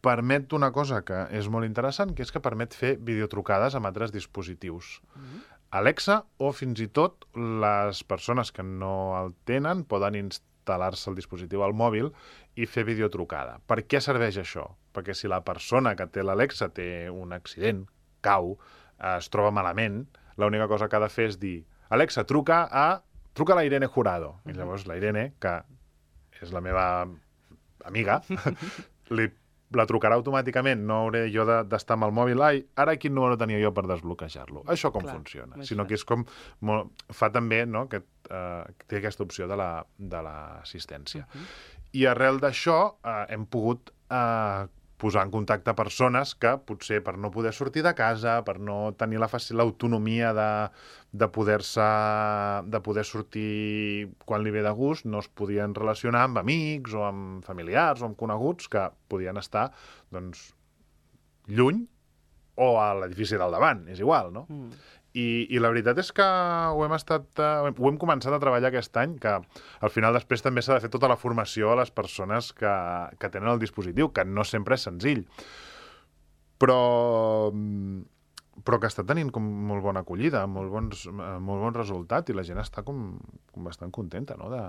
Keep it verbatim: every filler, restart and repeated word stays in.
permet una cosa que és molt interessant, que és que permet fer videotrucades amb altres dispositius. Mm-hmm. Alexa, o fins i tot les persones que no el tenen poden instal·lar-se el dispositiu al mòbil i fer videotrucada. Per què serveix això? Perquè si la persona que té l'Alexa té un accident, cau, es troba malament, l'única cosa que ha de fer és dir Alexa, truca a... truca a la Irene Jurado. Mm-hmm. I llavors la Irene, que és la meva amiga, li, la trucarà automàticament, no hauré jo d'estar amb el mòbil, ai, ara quin número tenia jo per desbloquejar-lo. Això com Clar, funciona? Sinó que és com... Molt, fa també, no?, que uh, té aquesta opció de l'assistència. La, uh-huh. I arrel d'això uh, hem pogut uh, posar en contacte persones que potser per no poder sortir de casa, per no tenir l'autonomia de, de poder-se de poder sortir quan li ve de gust, no es podien relacionar amb amics o amb familiars o amb coneguts que podien estar, doncs, lluny o a l'edifici del davant, és igual, no? Mm. I, I la veritat és que ho hem estat, uh, ho hem començat a treballar aquest any, que al final després també s'ha de fer tota la formació a les persones que, que tenen el dispositiu, que no sempre és senzill. Però, però que està tenint com molt bona acollida, molt bons, molt bon resultat, i la gent està com, com bastant contenta, no?, de,